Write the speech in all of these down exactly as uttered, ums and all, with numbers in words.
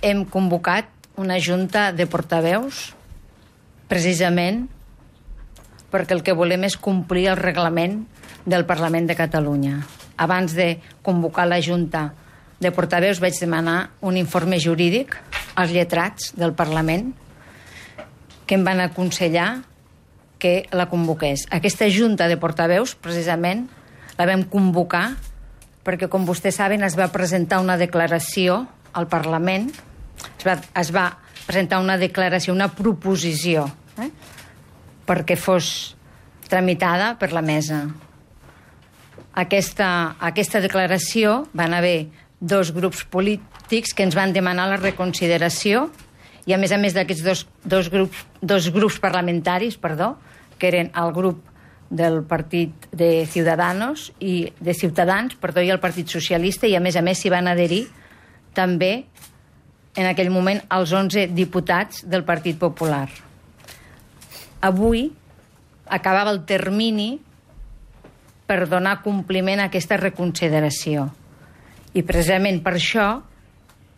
hem convocat una junta de portaveus precisament perquè el que volem és complir el reglament del Parlament de Catalunya. Abans de convocar la junta de portaveus vaig demanar un informe jurídic als lletrats del Parlament que em van aconsellar que la convoqués. Aquesta junta de portaveus, precisament, la vam convocar perquè, com vostès saben, es va presentar una declaració al Parlament, es va, es va presentar una declaració, una proposició, eh, perquè fos tramitada per la mesa. Aquesta, aquesta declaració van haver dos grups polítics que ens van demanar la reconsideració i, a més a més d'aquests dos, dos, grups, dos grups parlamentaris, perdó, que eren el grup del Partit de Ciudadanos i de Ciutadans, perdó, i el Partit Socialista, i a més a més s'hi van adherir també en aquell moment els onze diputats del Partit Popular. Avui acabava el termini per donar compliment a aquesta reconsideració. I precisament per això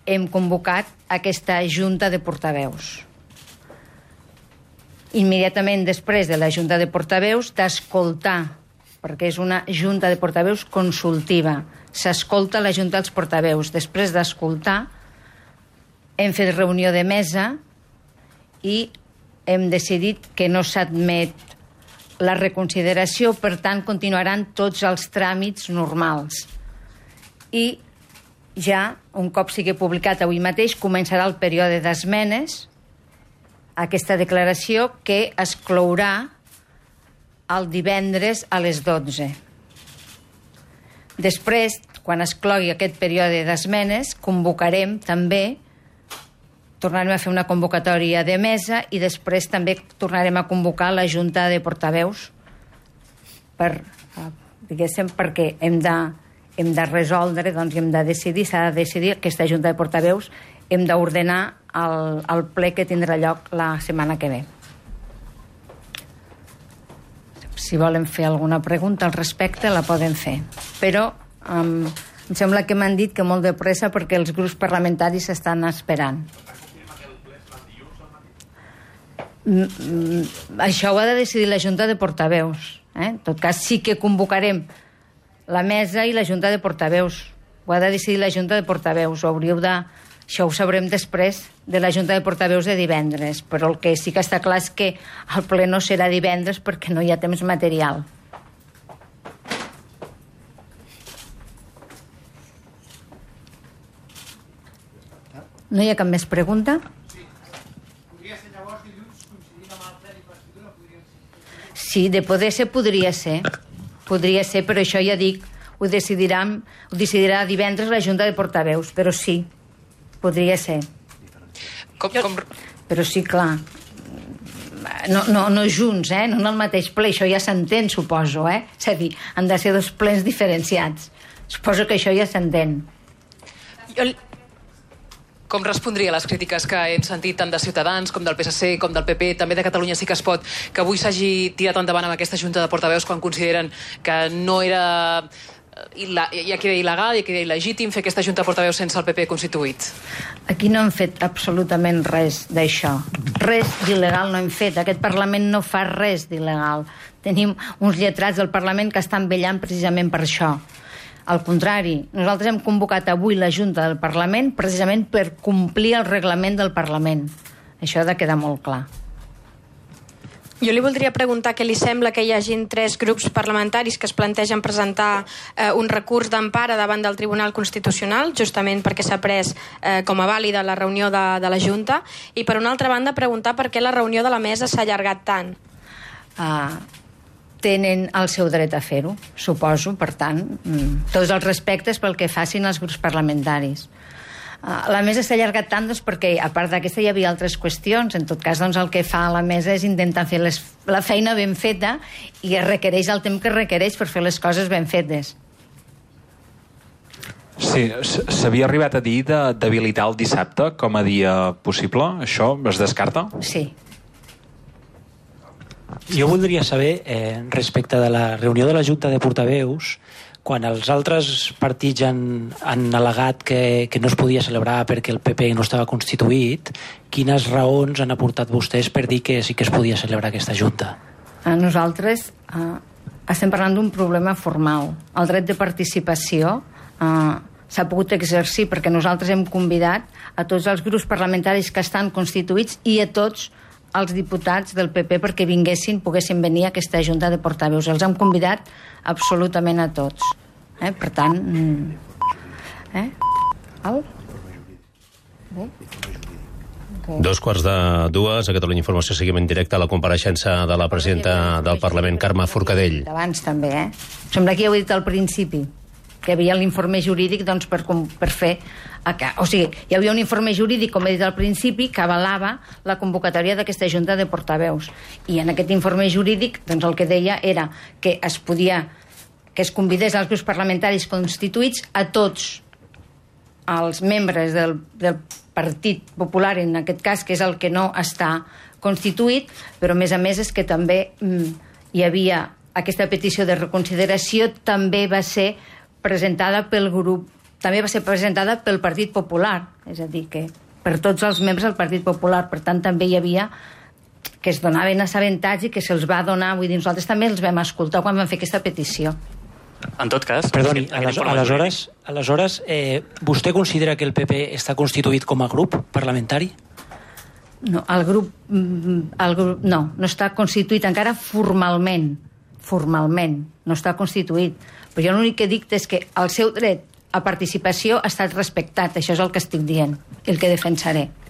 hem convocat aquesta junta de portaveus. Immediatament després de la junta de portaveus, d'escoltar, perquè és una junta de portaveus consultiva. S'escolta la junta dels portaveus. Després d'escoltar, hem fet reunió de mesa i hem decidit que no s'admet la reconsideració, per tant, continuaran tots els tràmits normals. I ja, un cop sigui publicat avui mateix, començarà el període d'esmenes a aquesta declaració que es clourà el divendres a les dotze. Després, quan es clogui aquest període d'esmenes, convocarem també, tornarem a fer una convocatòria de mesa i després també tornarem a convocar la junta de portaveus per, diguéssim, perquè hem de hem de resoldre, doncs hem de decidir, s'ha de decidir aquesta junta de portaveus, hem d'ordenar el, el ple que tindrà lloc la setmana que ve. Si volen fer alguna pregunta al respecte, la poden fer. Però um, em sembla que m'han dit que molt de pressa perquè els grups parlamentaris estan esperant. Mm, mm, això ho ha de decidir la junta de portaveus. Eh? En tot cas, sí que convocarem la mesa i la junta de portaveus. Ho ha de decidir la junta de portaveus. Ho hauríeu de... Això ho sabrem després de la junta de portaveus de divendres, però el que sí que està clar és que el ple no serà divendres perquè no hi ha temps material. No hi ha cap més pregunta? Sí, de poder ser, podria ser. Podria ser, però això ja dic, ho decidirà, ho decidirà divendres la junta de portaveus, però sí, podria ser. Com, com... Però sí, clar, no, no, no junts, eh? No en el mateix ple, això ja s'entén, suposo, eh? És a dir, han de ser dos plens diferenciats. Suposo que això ja s'entén. Jo... Com respondria a les crítiques que hem sentit tant de Ciutadans com del P S C com del P P, també de Catalunya Sí que es pot, que avui s'hagi tirat endavant amb aquesta junta de portaveus quan consideren que no era... ja queda il·legal, ja queda il·legítim fer aquesta junta de portaveus sense el P P constituït? Aquí no hem fet absolutament res d'això. Res d'il·legal no hem fet. Aquest Parlament no fa res d'il·legal. Tenim uns lletrats del Parlament que estan vetllant precisament per això. Al contrari, nosaltres hem convocat avui la Junta del Parlament precisament per complir el reglament del Parlament. Això ha de quedar molt clar. Jo li voldria preguntar què li sembla que hi hagin tres grups parlamentaris que es plantegen presentar eh, un recurs d'empara davant del Tribunal Constitucional, justament perquè s'ha pres eh, com a vàlida la reunió de, de la Junta, i per una altra banda preguntar per què la reunió de la mesa s'ha allargat tant. Ah... tenen el seu dret a fer-ho, suposo, per tant, tots els respectes pel que facin els grups parlamentaris. La mesa s'ha allargat tant doncs, perquè, a part d'aquesta, hi havia altres qüestions. En tot cas, doncs, el que fa la mesa és intentar fer les, la feina ben feta i es requereix el temps que requereix per fer les coses ben fetes. Sí, s'havia arribat a dir d'habilitar el dissabte com a dia possible. Això es descarta? Sí. Jo voldria saber, eh, respecte de la reunió de la Junta de Portaveus, quan els altres partits han, han al·legat que, que no es podia celebrar perquè el P P no estava constituït, quines raons han aportat vostès per dir que sí que es podia celebrar aquesta junta? A nosaltres eh, estem parlant d'un problema formal. El dret de participació eh, s'ha pogut exercir perquè nosaltres hem convidat a tots els grups parlamentaris que estan constituïts i a tots els diputats del P P perquè vinguessin, poguessin venir a aquesta junta de portaveus. Els hem convidat absolutament a tots. Eh? Per tant... Eh? Al? Bé? Okay. Dos quarts de dues, a Catalunya Informació seguim en directe a la compareixença de la presidenta del Parlament, Carme Forcadell. Abans també, eh? Sembla que ja ho he dit al principi, que hi havia l'informe jurídic doncs, per, per fer... O sigui, hi havia un informe jurídic, com he dit al principi, que avalava la convocatòria d'aquesta junta de portaveus. I en aquest informe jurídic doncs, el que deia era que es podia que es convidés als grups parlamentaris constituïts a tots els membres del, del Partit Popular, en aquest cas, que és el que no està constituït, però a més a més és que també mm, hi havia aquesta petició de reconsideració, també va ser presentada pel grup també va ser presentada pel Partit Popular, és a dir, que per tots els membres del Partit Popular, per tant també hi havia que es donaven assabentats i que se'ls va donar, vull dir, nosaltres també els vam escoltar quan vam fer aquesta petició. En tot cas... Perdoni, aleshores, aleshores eh, vostè considera que el P P està constituït com a grup parlamentari? No, el grup, el grup no, no està constituït encara formalment, formalment, no està constituït. Però jo l'únic que dic és que el seu dret a participació ha estat respectat, això és el que estic dient, el que defensaré.